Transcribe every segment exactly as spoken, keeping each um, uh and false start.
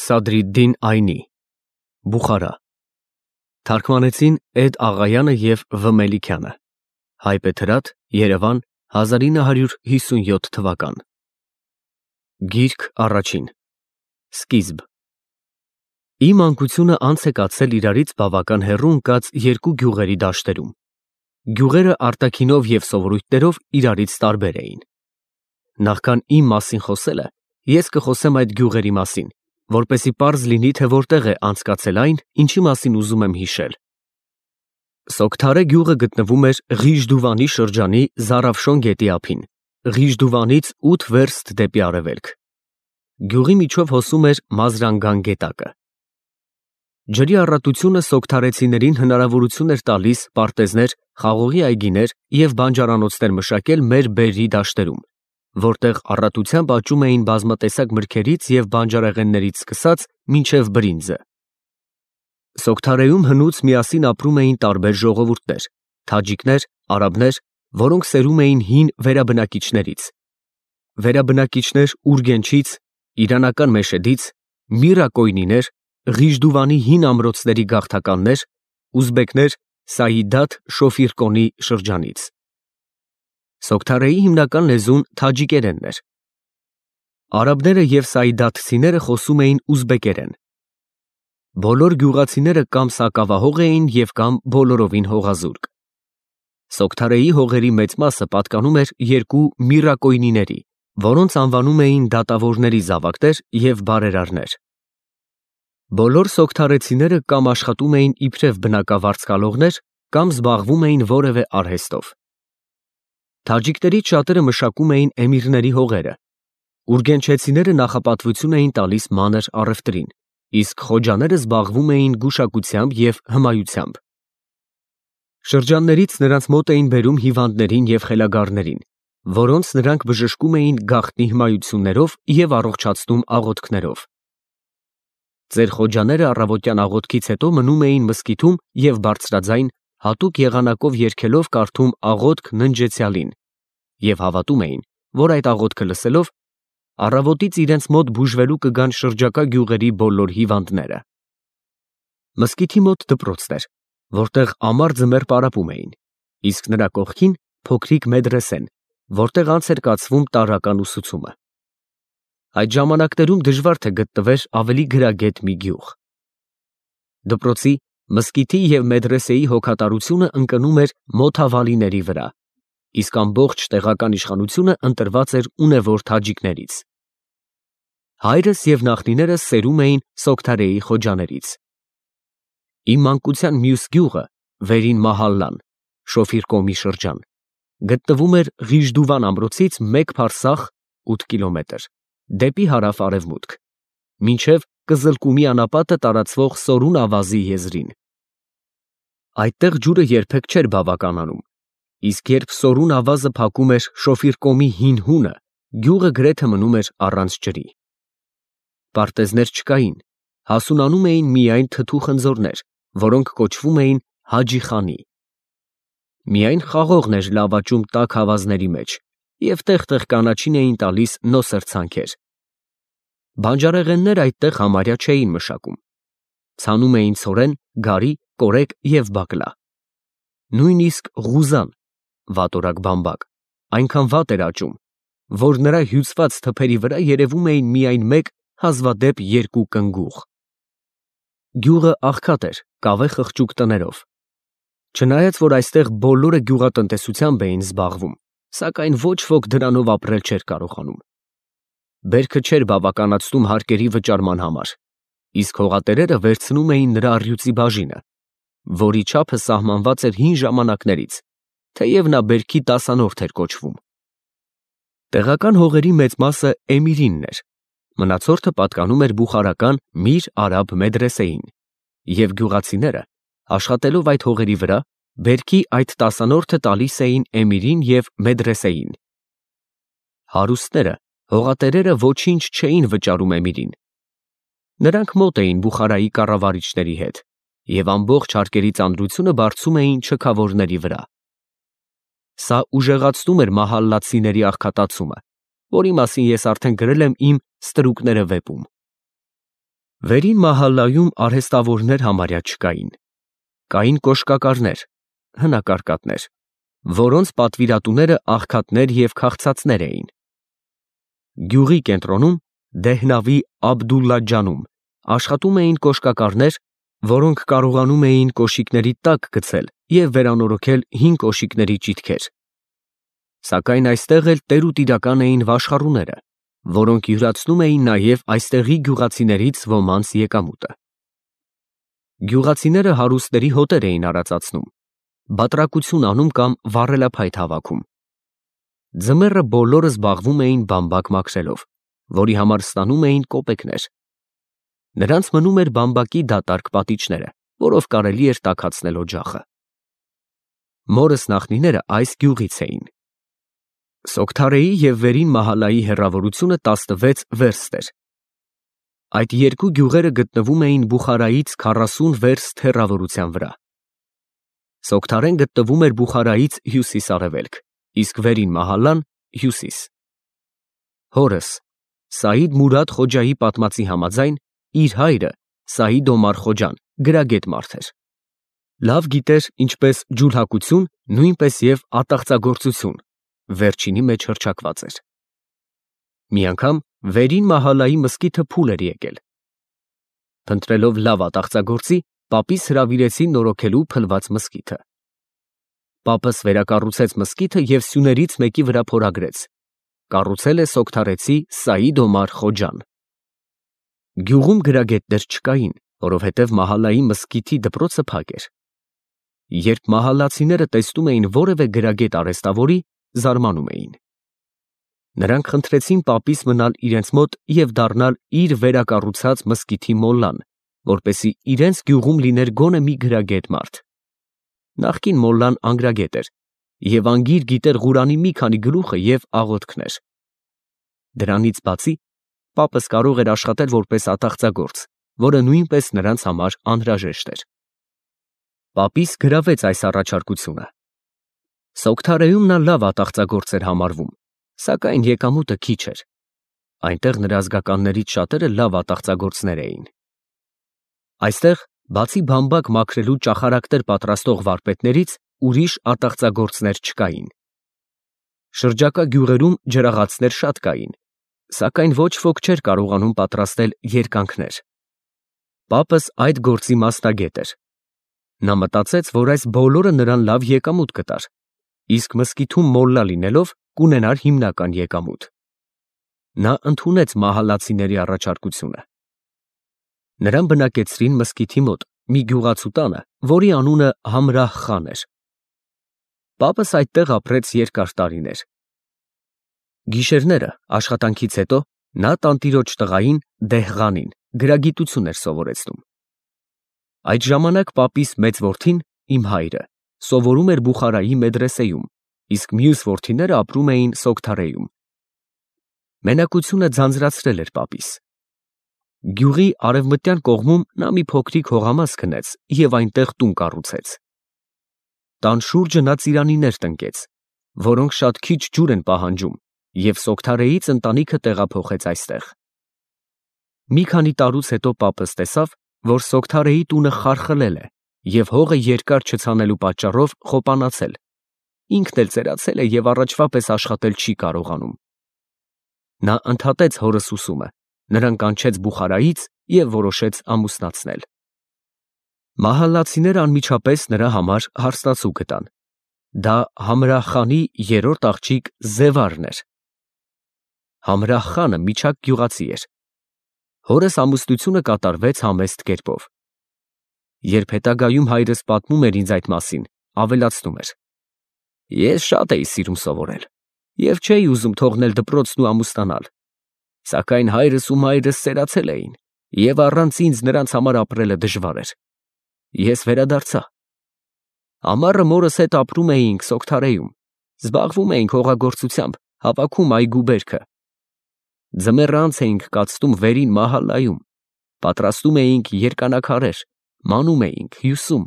Սադրիդդին Այնի, Բուխարա, թարգմանեցին Էդ Աղայանը և Վ Մելիքյանը, Հայբեթրատ, Երևան, հազար ինը հարյուր հիսունյոթ թվական։ Գիրք առաջին, Սկիզբ։ Իմ մանկությունը անց է կացել իրարից բավական հեռու ընկած երկու գյուղերի դաշտերում։ Գյուղերը արտաքինով և սովորույթներով իրարից տարբեր էին։ Նախքան իմ մասին խոսելը, ես կխոսեմ այդ գյուղերի մասին, որպեսզի պարզ լինի, թե որտեղ է անցկացել այն, ինչի մասին ուզում եմ հիշել։ Սոգթարե գյուղը գտնվում էր Ղիժդուվանի շրջանի Զարավշոն գետի ափին, Ղիժդուվանից ութ վերստ դեպի արևելք։ Գյուղի միջով հոսում էր Մազրանգան գետակը։ Ջրի առատությունը սոգթարեցիներին հնարավորություն էր տալիս պարտեզներ, խաղողի այգիներ և բանջարանոցներ մշակել մեր բերրի դաշտերում, որտեղ առատությամբ աճում էին բազմատեսակ մրգերից և բանջարեղեններից սկսած մինչև բրինձը։ Սոգթարեում հնուց միասին ապրում էին տարբեր ժողովուրդներ՝ թաջիկներ, արաբներ, որոնք սերում էին հին վերաբնակիչներից։ Վերաբնակիչներ Ուրգենչից, իրանական Մեշեդից, Միրակոյնիներ, Ղիժդուվանի հին ամրոցների գաղթականներ, ուզբեկներ Սայիդաթ Շոֆիրկոնի շրջանից։ Սոգթարեի հիմնական լեզուն թաջիկերենն էր։ Արաբները և սայիդաթցիները խոսում էին ուզբեկերեն։ Բոլոր գյուղացիները կամ սակավահող էին և կամ բոլորովին հողազուրկ։ Սոգթարեի հողերի մեծ մասը պատկանում էր երկու միրակոյնիների, որոնց անվանում էին դատավորների զավակներ և բարերարներ։ Բոլոր սոգթարեցիները կամ աշխատում էին իբրև բնակավարձկալողներ, կամ զբաղվում էին որևէ արհեստով։ Թաջիկներից շատերը մշակում էին էմիրների հողերը։ Ուրգենչեցիները նախապատվություն էին տալիս մանր առևտրին, իսկ խոջաները զբաղվում էին գուշակությամբ և հմայությամբ։ Շրջաններից նրանց մոտ էին բերում հիվանդներին և խելագարներին, որոնց նրանք բժշկում էին գաղտնի հմայություններով և առողջացնում աղոթքներով։ Ծեր խոջաները առավոտյան աղոթքից հետո մնում էին մզկիթում և բարձրաձայն, հատուկ եղանակով երգելով կարդում աղոթք Ննջեցյալին և հավատում էին, որ այդ աղոթքը լսելով, առավոտից իրենց մոտ բուժվելու կգան շրջակա գյուղերի բոլոր հիվանդները։ Մզկիթի մոտ դպրոցն էր, որտեղ ամառ ձմեռ պարապում էին, իսկ նրա կողքին փոքրիկ մեդրեսեն, որտեղ անց էր կացվում տարրական ուսուցումը։ Այդ ժամանակներում դժվար թե գտնվեր ավելի գրագետ մի գյուղ։ Դպրոցի, մզկիթի և մեդրեսեի հոգատարությունը ընկնում էր մոթավալիների վրա, իսկ ամբողջ տեղական իշխանությունը ընտրված էր ունևոր թաջիկներից։ Հայրս և նախնիներս սերում էին Սոգթարեի խոջաներից։ Իմ մանկության մյուս գյուղը՝ Վերին Մահալլան, Շոֆիրկոմի շրջան, գտնվում էր Ղիժդուվան ամրոցից մեկ փարսախ (ութ կիլոմետր) դեպի հարավ֊արևմուտք, մինչև Կզլկումի անապատը տարածվող Սորուն ավազի եզրին։ Այդտեղ ջուրը երբեք չէր բավականանում, իսկ երբ Սորուն ավազը փակում էր Շոֆիրկոմի հին հունը, գյուղը գրեթե մնում էր առանց ջրի։ Պարտեզներ չկային, հասունանում էին միայն թթու խնձորներ, որոնք կոչվում էին Հաջի խանի։ Միայն խաղողն էր լավ աճում տաք ավազների մեջ, և տեղ֊տեղ կանաչին էին տալիս նոսր ցանքեր։ Բանջարեղեններ այդտեղ համարյա չէին մշակում։ Ցանում էին ցորեն, գարի, կորեկ և բակլա։ Նույնիսկ ղուզան (վատորակ բամբակ) այնքան վատ էր աճում, որ նրա հյուծված թփերի վրա երևում էին միայն մեկ, հազվադեպ երկու կնգուղ։ Գյուղը աղքատ էր կավե խղճուկ տներով։ Չնայած որ այստեղ բոլորը գյուղատնտեսությամբ էին զբաղվում, սակայն ոչ ոք դրանով ապրել չէր կարողանում։ Բերքը չէր բավականացնում հարկերի վճարման համար, իսկ հողատերերը վերցնում էին նրա առյուծի բաժինը, որի չափը սահմանված էր հին ժամանակներից, թեև նա բերքի տասանորդ էր կոչվում։ Տեղական հողերի մեծ մասը էմիրինն էր, մնացորդը պատկանում էր բուխարական Միր Արաբ մեդրեսեին, և գյուղացիները, աշխատելով այդ հողերի վրա, բերքի այդ տասանորդը տալիս էին էմիրին և մեդրեսեին։ Հարուստները, հողատերերը ոչինչ չէին վճարում էմիրին։ Նրանք մոտ էին Բուխարայի կառավարիչների հետ և ամբողջ հարկերի ծանրությունը բարձում էին չքավորների վրա։ Սա ուժեղացնում էր մահալլացիների աղքատացումը, որի մասին ես արդեն գրել եմ իմ «Ստրուկները» վեպում։ Վերին մահալայում արհեստավորներ համարյա չկային։ Կային կոշկակարներ, հնակարկատներ, որոնց պատվիրատուները աղքատներ և քաղցածներ էին։ Գյուղի կենտրոնում Դեհնավի Աբդուլլա-ջանում աշխատում էին կոշկակարներ, որոնք կարողանում էին կոշիկների տակ գցել և վերանորոգել հին կոշիկների ճիթքեր։ Սակայն այստեղ էլ տերուտիրական էին վաշխառուները, որոնք յուրացնում էին նաև այստեղի գյուղացիներից ոմանց եկամուտը։ Գյուղացիները հարուստների հոտեր էին արածացնում, բատրակություն անում կամ վառելափայտ հավաքում։ Ձմեռը բոլորը զբաղվում էին բամբակ մաքրելով, որի համար ստանում էին կոպեկներ։ Նրանց մնում էր բամբակի դատարկ պատիճները, որով կարելի էր տաքացնել օջախը։ Մորս նախնիները այս գյուղից էին։ Սոգթարեի և Վերին Մահալայի հեռավորությունը տասնվեց վերստ էր։ Այդ երկու գյուղերը գտնվում էին Բուխարայից քառասուն վերստ հեռավորության վրա։ Սոգթարեն գտնվում էր Բուխարայից հյուսիս֊արևելք, իսկ Վերին Մահալան՝ հյուսիս։ Հորս Սաիդ Մուրադ Խոջայի պատմածի համաձայն, իր հայրը Սաիդ Օմար Խոջան գրագետ մարդ էր։ Լավ գիտեր ինչպես ջուլհակություն, նույնպես և ատաղծագործություն, վերջինի մեջ հռչակված էր։ Մի անգամ Վերին Մահալայի մզկիթը փուլ էր եկել։ Փնտրելով լավ ատաղծագործի, պապիս հրավիրեցին նորոգելու փլված մզկիթը։ Պապս վերակառուցեց մզկիթը և սյուներից մեկի վրա փորագրեց. կառուցել է սոգթարեցի Սաիդ Օմար Խոջան։ Գյուղում գրագետներ չկային, որովհետև Մահալայի մզկիթի դպրոցը փակ էր։ Երբ մահալացիները տեսնում էին որևէ գրագետ արհեստավորի, զարմանում էին։ Նրանք խնդրեցին պապիս մնալ իրենց մոտ և դառնալ իր վերակառուցած մզկիթի մոլլան, որպեսզի իրենց գյուղում լիներ գոնե մի գրագետ մարդ։ Նախկին մոլլան անգրագետ էր և անգիր գիտեր Ղուրանի մի քանի գլուխը և աղոթքներ։ Դրանից բացի, պապս կարող էր աշխատել որպես ատաղծագործ, որը նույնպես նրանց համար անհրաժեշտ էր։ Պապիս գրավեց այս առաջարկությունը։ Սոգթարեում նա լավ ատաղծագործ էր համարվում, սակայն եկամուտը քիչ էր։ Այնտեղ նրա ազգականներից շատերը լավ ատաղծագործներ էին։ Այստեղ, բացի բամբակ մաքրելու ճախարակներ պատրաստող վարպետներից, ուրիշ ատաղծագործներ չկային։ Շրջակա գյուղերում ջրաղացներ շատ կային, սակայն ոչ ոք չէր կարողանում պատրաստել երկանքներ։ Պապս այդ գործի մասնագետ էր։ Նա մտածեց, որ այս բոլորը նրան լավ եկամուտ կտար, իսկ մզկիթում մոլլա լինելով կունենար հիմնական եկամուտ։ Նա ընդունեց մահալացիների առաջարկությունը։ Նրան բնակեցրին մզկիթի մոտ մի գյուղացու տանը, որի անունը Համրահ խան էր։ Պապս այդտեղ ապրեց երկար տարիներ։ Գիշերները աշխատանքից հետո նա տանտիրոջ տղային Դեհղանին գրագիտություն էր սովորեցնում։ Այդ ժամանակ պապիս մեծ որդին, իմ հայրը, սովորում էր Բուխարայի մեդրեսեում, իսկ մյուս որդիները ապրում էին Սոգթարեում։ Մենակությունը ձանձրացրել էր պապիս։ Գյուղի արևմտյան կողմում նա մի փոքրիկ հողամաս քնեց և այնտեղ տուն կառուցեց։ Տան շուրջը նա ծիրանիներ տնկեց, որոնք շատ քիչ ջուր են պահանջում, և Սոգթարեից ընտանիքը տեղափոխեց այստեղ։ Մի քանի տարուց հետո պապս տեսավ, որ Սոգթարեի տունը խարխլել է և հողը երկար չցանելու պատճառով խոպանացել, ինքն էլ ծերացել է և առաջվա պես աշխատել չի կարողանում։ Նա ընդհատեց հորս ուսումը, նրան կանչեց Բուխարայից և որոշեց ամուսնացնել։ Մահալացիները անմիջապես նրա համար հարստացու գտան։ Դա Համրահ խանի երրորդ աղջիկ Զևարն էր։ Համրահ խանը միջակ գյուղացի էր։ Հորս ամուսնությունը կատարվեց համեստ կերպով։ Երբ հետագայում հայրս պատմում էր ինձ այդ մասին, ավելացնում էր. Ես շատ էի սիրում սովորել և չէի ուզում թողնել դպրոցն ու ամուսնանալ, սակայն հայրս ու մայրս ծերացել էին, և առանց ինձ նրանց համար ապրելը դժվար էր։ Ես վերադարձա։ Ամառը մորս հետ ապրում էինք Սոգթարեում, զբաղվում էինք հողագործությամբ, հավաքում այգու բերքը։ Ձմեռը անց էինք կացնում Վերին Մահալայում, պատրաստում էինք երկանակարեր, մանում էինք, հյուսում։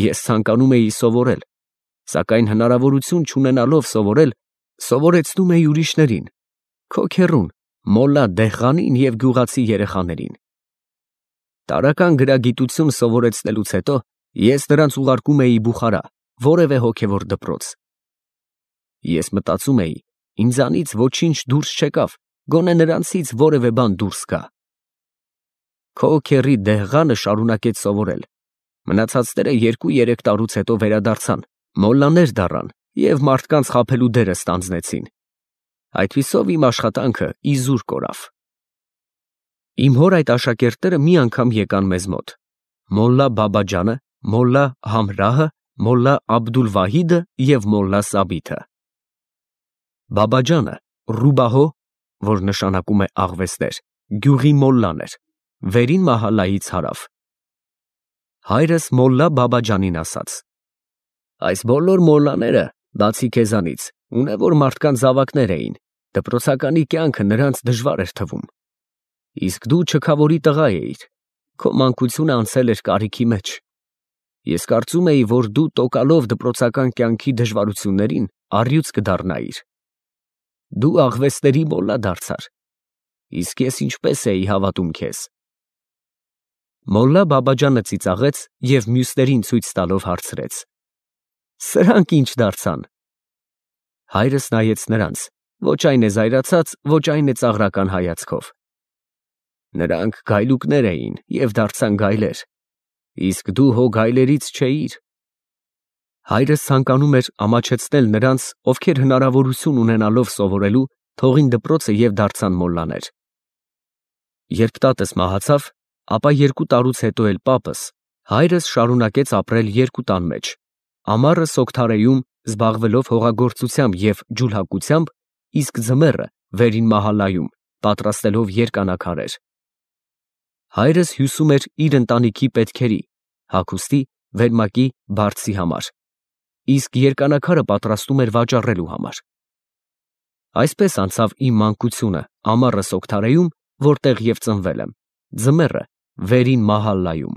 Ես ցանկանում էի սովորել, սակայն հնարավորություն չունենալով սովորել, սովորեցնում էի ուրիշներին, քո քեռուն, մոլլա Դեհղանին և գյուղացի երեխաներին։ Տարրական գրագիտություն սովորեցնելուց հետո ես նրանց ուղարկում էի Բուխարա, որևէ հոգևոր դպրոց։ Ես մտածում էի, ինձանից ոչինչ դուրս չեկավ, գոնե նրանցից որևէ բան դուրս գա։ Քո քեռի Դեհղանը շարունակեց սովորել։ Մնացածները երկու֊երեք տարուց հետո վերադարձան, մոլլաներ դառան և մարդկանց խաբելու դերը ստանձնեցին։ Այդպիսով իմ աշխատանքը իզուր կորավ։ Իմ հոր այդ աշակերտները մի անգամ եկան մեզ մոտ. մոլլա Բաբաջանը, մոլլա Համրահը, մոլլա Աբդուլ֊Վահիդը և մոլլա Սաբիթը։ Բաբաջանը Ռուբահո, որ նշանակում է աղվեսներ, գյուղի մոլլան էր, վերին մահալայից հարավ։ Հայրս մոլլա Բաբաջանին ասաց. այս բոլոր մոլլաները, բացի քեզանից, ունևոր մարդկանց զավակներ էին, դպրոցականի կյանքը նրանց դժվար էր թվում։ Իսկ դու չքավորի տղա էիր, քո մանկությունը անցել էր կարիքի մեջ։ Ես կարծում էի, որ դու տոկալով դպրոցական կյանքի դժվարություններին առյուծ կդառնայիր։ Դու աղվեսների մոլլա դարձար, իսկ ես ինչպես էի հավատում քեզ։ Մոլլա Բաբաջանը ծիծաղեց և մյուսներին ցույց տալով հարցրեց. Սրանք ի՞նչ դարձան։ Հայրս նայեց նրանց, ոչ այն է զայրացած, ոչ այն է ծաղրական հայացքով։ Նրանք գայլուկներ էին և դարձան գայլեր, իսկ դու հո գայլերից չէիր։ Հայրս ցանկանում էր ամաչեցնել նրանց, ովքեր հնարավորություն ունենալով սովորելու, թողին դպրոցը և դարձան մոլլաներ։ Երբ տատս մահացավ, ապա երկու տարուց հետո էլ պապս, հայրս շարունակեց ապրել երկու տան մեջ, ամառը Սոգթարեում զբաղվելով հողագործությամբ և ջուլհակությամբ, իսկ ձմեռը վերին մահալայում պատրաստելով երկանաքարեր։ Հայրս հյուսում էր իր ընտանիքի պետքերի, հագուստի, վերմակի, բարձի համար, իսկ երկանաքարը պատրաստում էր վաճառելու համար։ Այսպես անցավ իմ մանկությունը ամառը Սոգթարեում, որտեղ և ծնվել եմ, ձմեռը վերին մահալայում։